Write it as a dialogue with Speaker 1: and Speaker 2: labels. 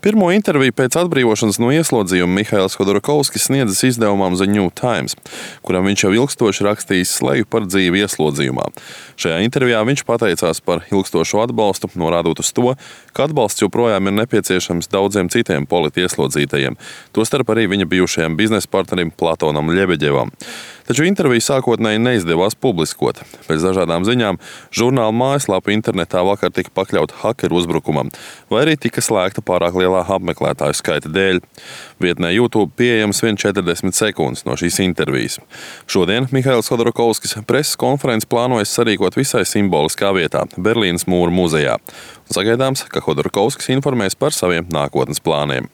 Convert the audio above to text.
Speaker 1: Pirmo interviju pēc atbrīvošanas no ieslodzījuma Mihails Hodorkovskis sniedzis izdevumam The New Times, kuram viņš jau ilgstoši rakstījis sleju par dzīvi ieslodzījumā. Šajā intervijā viņš pateicās par ilgstošo atbalstu, norādot uz to, ka atbalsts joprojām ir nepieciešams daudziem citiem politieslodzītajiem, tostarp arī viņa bijušajam biznesa partnerim Platonam Ļebeģevam. Taču interviju sākotnēji neizdevās publiskot. Pēc dažādām ziņām žurnāla mājaslapa internetā vakar tika pakļauta hakeru uzbrukumam, vai arī tika slēgta pārāk lielā apmeklētāju skaita dēļ. Vietnē YouTube pieejams vien 40 sekundes no šīs intervijas. Šodien Mihails Hodorkovskis preses konferenci plānojas sarīkot visai simboliskā vietā – Berlīnes mūra muzejā. Sagaidāms, ka Hodorkovskis informēs par saviem nākotnes plāniem.